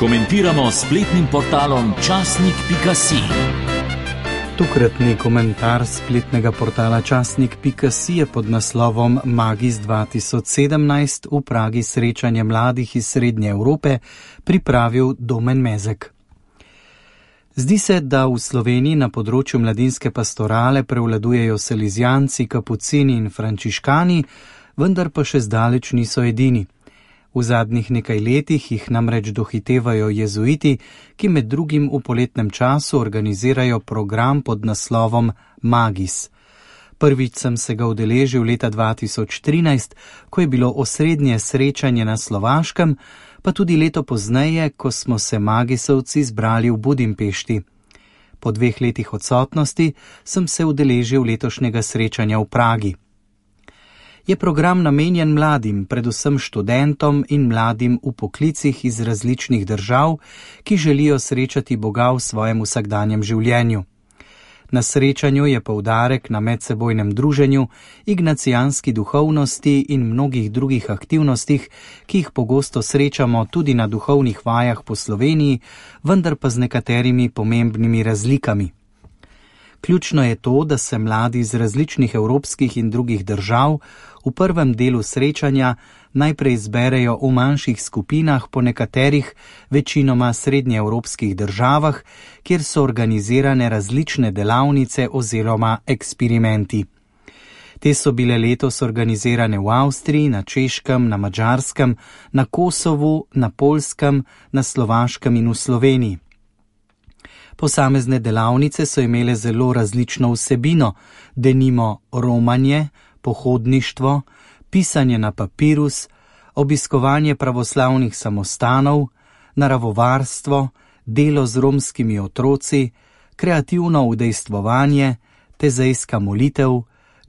Komentiramo s spletnim portalom časnik.si. Tokratni komentar spletnega portala časnik.si je pod naslovom Magis 2017 v Pragi srečanje mladih iz Srednje Evrope pripravil Domen Mezek. Zdi se, da v Sloveniji na področju mladinske pastorale prevladujejo salizijanci, kapucini in frančiškani, vendar pa še zdaleč niso edini. V zadnjih nekaj letih jih namreč dohitevajo jezuiti, ki med drugim v poletnem času organizirajo program pod naslovom Magis. Prvič sem se ga udeležil leta 2013, ko je bilo osrednje srečanje na Slovaškem, pa tudi leto pozneje, ko smo se magisovci zbrali v Budimpešti. Po 2 letih odsotnosti sem se udeležil letošnjega srečanja v Pragi. Je program namenjen mladim, predvsem študentom in mladim v poklicih iz različnih držav, ki želijo srečati Boga v svojem vsakdanjem življenju. Na srečanju je poudarek na medsebojnem druženju, ignacijanski duhovnosti in mnogih drugih aktivnostih, ki jih pogosto srečamo tudi na duhovnih vajah po Sloveniji, vendar pa z nekaterimi pomembnimi razlikami. Ključno je to, da se mladi iz različnih evropskih in drugih držav v prvem delu srečanja najprej zberejo v manjših skupinah po nekaterih, večinoma srednjeevropskih državah, kjer so organizirane različne delavnice oziroma eksperimenti. Te so bile letos organizirane v Avstriji, na Češkem, na Madžarskem, na Kosovu, na Poljskem, na Slovaškem in v Sloveniji. Posamezne delavnice so imele zelo različno vsebino, denimo romanje, pohodništvo, pisanje na papirus, obiskovanje pravoslavnih samostanov, naravovarstvo, delo z romskimi otroci, kreativno udejstvovanje, tezejska molitev,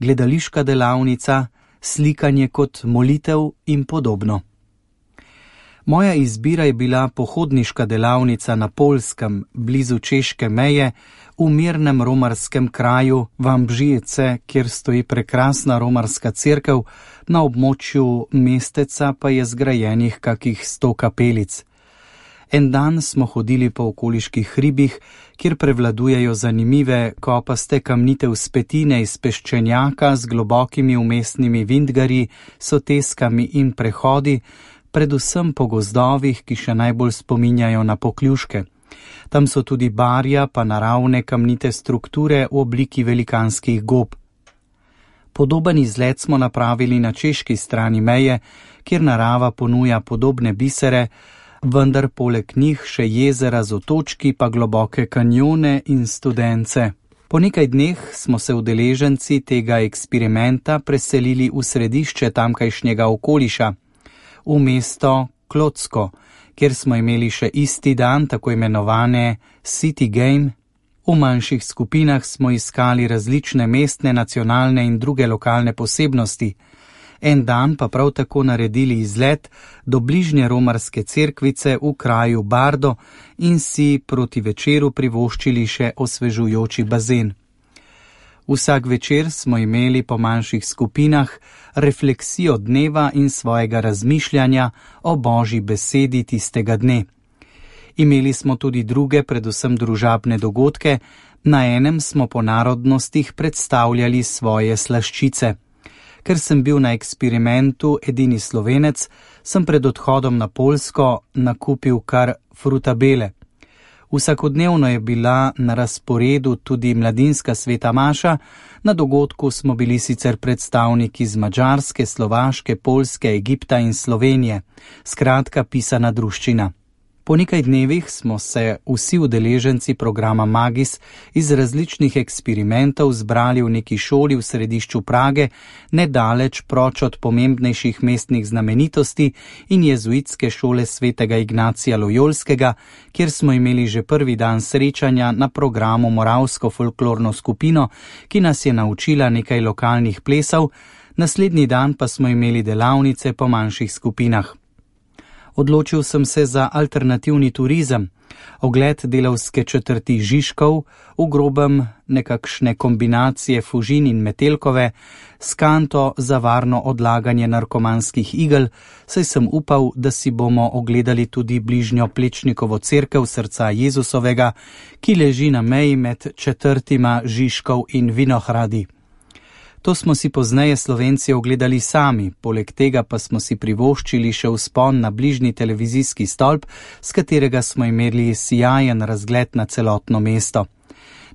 gledališka delavnica, slikanje kot molitev in podobno. Moja izbira je bila pohodniška delavnica na Poljskem, blizu češke meje, v mirnem romarskem kraju Vambžijece, kjer stoji prekrasna romarska cerkev, na območju mesteca pa je zgrajenih kakih 100 kapelic. En dan smo hodili po okoliških hribih, kjer prevladujejo zanimive kopaste kamnite vzpetine iz peščenjaka z globokimi umestnimi vintgarji, soteskami in prehodi, predvsem po gozdovih, ki še najbolj spominjajo na Pokljuške. Tam so tudi barja pa naravne kamnite strukture v obliki velikanskih gob. Podoben izlet smo napravili na češki strani meje, kjer narava ponuja podobne bisere, vendar poleg njih še jezera z otočki pa globoke kanjone in studence. Po nekaj dneh smo se udeleženci tega eksperimenta preselili v središče tamkajšnjega okoliša, v mesto Klocko, kjer smo imeli še isti dan tako imenovane City Game. V manjših skupinah smo iskali različne mestne, nacionalne in druge lokalne posebnosti. En dan pa prav tako naredili izlet do bližnje romarske cerkvice v kraju Bardo in si proti večeru privoščili še osvežujoči bazen. Vsak večer smo imeli po manjših skupinah refleksijo dneva in svojega razmišljanja o Božji besedi tistega dne. Imeli smo tudi druge, predvsem družabne dogodke, na enem smo po narodnostih predstavljali svoje slaščice. Ker sem bil na eksperimentu edini Slovenec, sem pred odhodom na Poljsko nakupil kar frutabele. Vsakodnevno je bila na razporedu tudi mladinska sveta maša, na dogodku smo bili sicer predstavniki z Madžarske, Slovaške, Poljske, Egipta in Slovenije, skratka pisana druščina. Po nekaj dnevih smo se vsi udeleženci programa Magis iz različnih eksperimentov zbrali v neki šoli v središču Prage, nedaleč proč od pomembnejših mestnih znamenitosti in jezuitske šole svetega Ignacija Lojolskega, kjer smo imeli že prvi dan srečanja na programu Moravsko folklorno skupino, ki nas je naučila nekaj lokalnih plesov, naslednji dan pa smo imeli delavnice po manjših skupinah. Odločil sem se za alternativni turizem, ogled delavske četrti Žižkov, v grobem nekakšne kombinacije Fužin in Metelkove, s kanto za varno odlaganje narkomanskih igel, saj sem upal, da si bomo ogledali tudi bližnjo Plečnikovo cerkev srca Jezusovega, ki leži na meji med četrtima Žižkov in Vinohradi. To smo si pozneje Slovenci ogledali sami, poleg tega pa smo si privoščili še vzpon na bližnji televizijski stolp, s katerega smo imeli sijajen razgled na celotno mesto.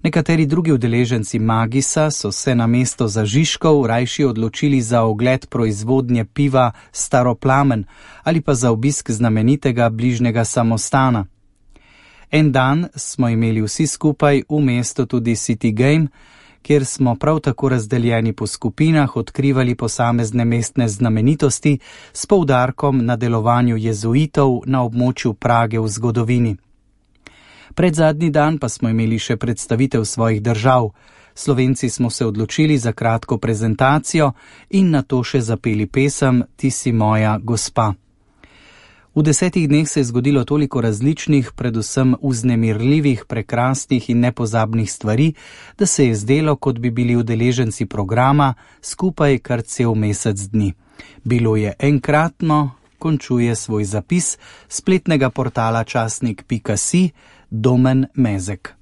Nekateri drugi udeleženci Magisa so se na mesto za Žižkov rajši odločili za ogled proizvodnje piva Staroplamen ali pa za obisk znamenitega bližnjega samostana. En dan smo imeli vsi skupaj v mestu tudi City Game, kjer smo prav tako razdeljeni po skupinah odkrivali posamezne mestne znamenitosti s poudarkom na delovanju jezuitov na območju Prage v zgodovini. Predzadnji dan pa smo imeli še predstavitev svojih držav. Slovenci smo se odločili za kratko prezentacijo in nato še zapeli pesem Ti si moja gospa. V 10 dneh se je zgodilo toliko različnih, predvsem vznemirljivih, prekrasnih in nepozabnih stvari, da se je zdelo, kot bi bili udeleženci programa skupaj kar cel mesec dni. Bilo je enkratno, končuje svoj zapis spletnega portala časnik.si Domen Mezek.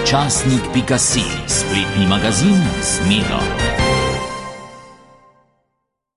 Časnik.si, spletni magazin z Miro.